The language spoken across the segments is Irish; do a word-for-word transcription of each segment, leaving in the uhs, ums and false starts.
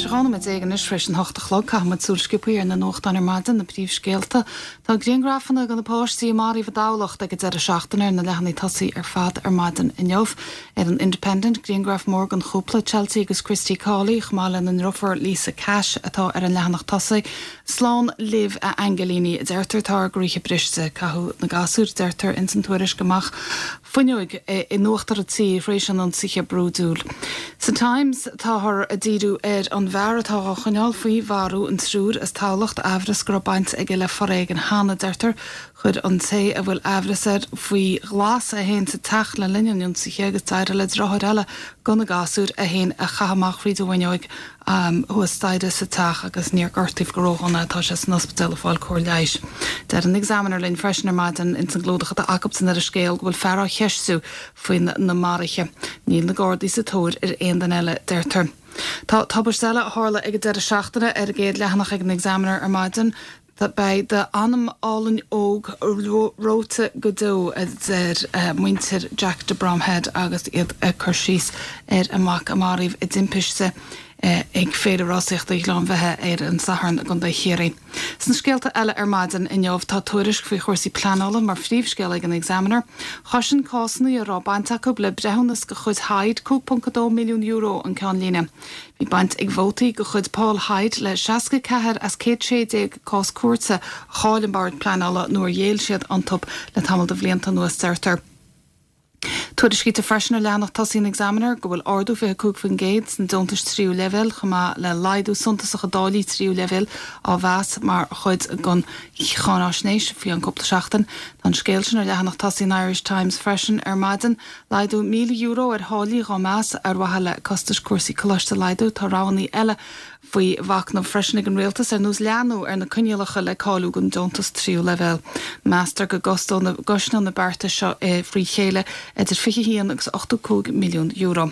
Dhá nóiméad déag anois tar éis an hocht a chlog caithfimid súil sciobtha ar na nuachtáin ar maidin na príomhscéalta. Tá grianghrafanna de na páistí a maraíodh i dTamhlacht ag an deireadh seachtaine ar na leathanaigh tosaigh ar fad ar maidin inniu. Ar an Independent grianghraf mór den chúpla Chelsea agus Christy Cawley chomh maith lena ndeirfiúr Lisa Cash atá ar an leathanach tosaigh. Slán libh a aingilíní deirtear tá ár gcroíthe briste caitheadh na gasúir deirtear ins an tuairisc amach fuinneog in uachtar an tí tar éis an ionsaithe brúidiúil. Sa Times táthar ag díriú ar an bhfear atá á choinneáil faoi mharú an triúr as Tamhlacht amhras go raibh baint aige le foréigean cheana deirtear chuir an té a bhfuil amhras air faoi ghlas é féin sa teach le linn an ionsaithe agus d'éirigh le deartháir eile de na gasúir é féin a chaitheamh amach fríd an bhfuinneog um, thuas staighre sa teach agus níor gortaíodh go ródhona tá sé san ospidéal ag fáil cóir leighis. Deir an Examiner linn freisin ar maidin ins an gclúdach atá acu san ar an scéal go bhfuil fear á cheistiú faoi na maruithe. Níl na Gardaí sa tóir ar aon duine eile deirtear. Tá tubaiste eile a tharla ag an deireadh seachtaine ar an gcéad leathanach ag an Examiner ar maidin. Beidh d'anam álainn óg reoite go deo a deir uh, muintir Jack de Bromhead agus iad ag cur síos ar a mac a maraíodh i dtimpiste uh, ag féile rásaíochta Ghleann Bheithe ar an Satharn i gContae Chiarraí. Sna scéalta eile ar maidin inniu tá tuairisc faoi chúrsaí pleanála mar phríomhscéal ag an Examiner, Chosain cásanna a raibh baint acu le breithiúnas de chuid Hyde cúig ponc dó milliún euro an ceannlíne. Bhí baint ag vótaí de chuid Paul Hyde le seasca ceathair as céad sé déag cás cúirte a chaill an bord pleanála nuair a ghéill siad iontu le tamall de bhlianta anuas deirtear. Tuairiscítear freisin ar leathanach tosaigh an Examiner go bhfuil ardú fiche cúig faoin gcéad sna deontais tríú leibhéal chomh maith le laghdú suntasach i dtáillí tríú leibhéal á mheas mar chuid den cháinaisnéis faoi an cúpla seachtain. Tá an scéal sin ar leathanach tosaigh an Irish Times freisin ar maidin, laghdú míle euro ar tháillí á mheas ar mhaithe le costais cúrsaí coláiste a laghdú tá roghanna eile faoi mhachnamh freisin ag an rialtas ar nós leathnú ar na coinníollacha le cáiliú don deontas tríú leibhéal. Meastar go gcosnódh na bearta seo eh, frí chéile idir fiche haon agus ochtó cúig milliún euro.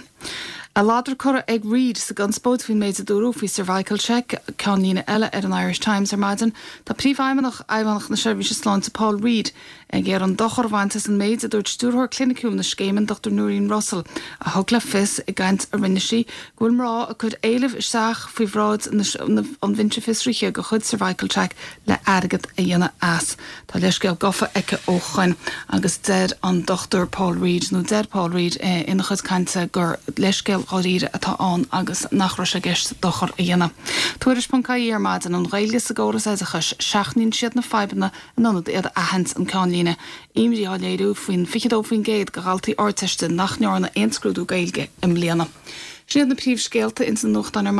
A ladar curtha ag Reid sa gconspóid faoin méid a dúradh faoi cervical check ceannlíne eile ar an Irish Times ar maidin, Tá príomhfheidhmeannach Fheidhmeannacht na Seirbhíse Sláinte Paul Reid ag iarraidh an dochar a bhaint as an méid a dúirt stiúrthóir cliniciúil na scéime Dr Noreen Russell a thug le fios i gcaint a rinne sí go bhfuil mná ag cur éilimh isteach faoi bhráid an bhinse fiosraithe de chuid cervical check le airgead a dhéanamh as. Tá leithscéal gafa aici ó shin agus deir an Dr Paul Reid nó deir Paul Reid eh, ina chuid cainte gur leithscéal dháiríre atá ann agus nach raibh sé i gceist dochar a dhéanamh. Tuairisc.ie ar maidin an Ghaeilge sa gcóras oideachais seachnaíonn siad na fadhbanna in ionad iad a aithint an ceannlíne. Imní á léiriú faoin fiche dó faoin gcéad de dhaltaí Ardteiste nach ndearna aon scrúdú Gaeilge i mbliana. Sin iad na príomhscéalta ins na nuachtáin ar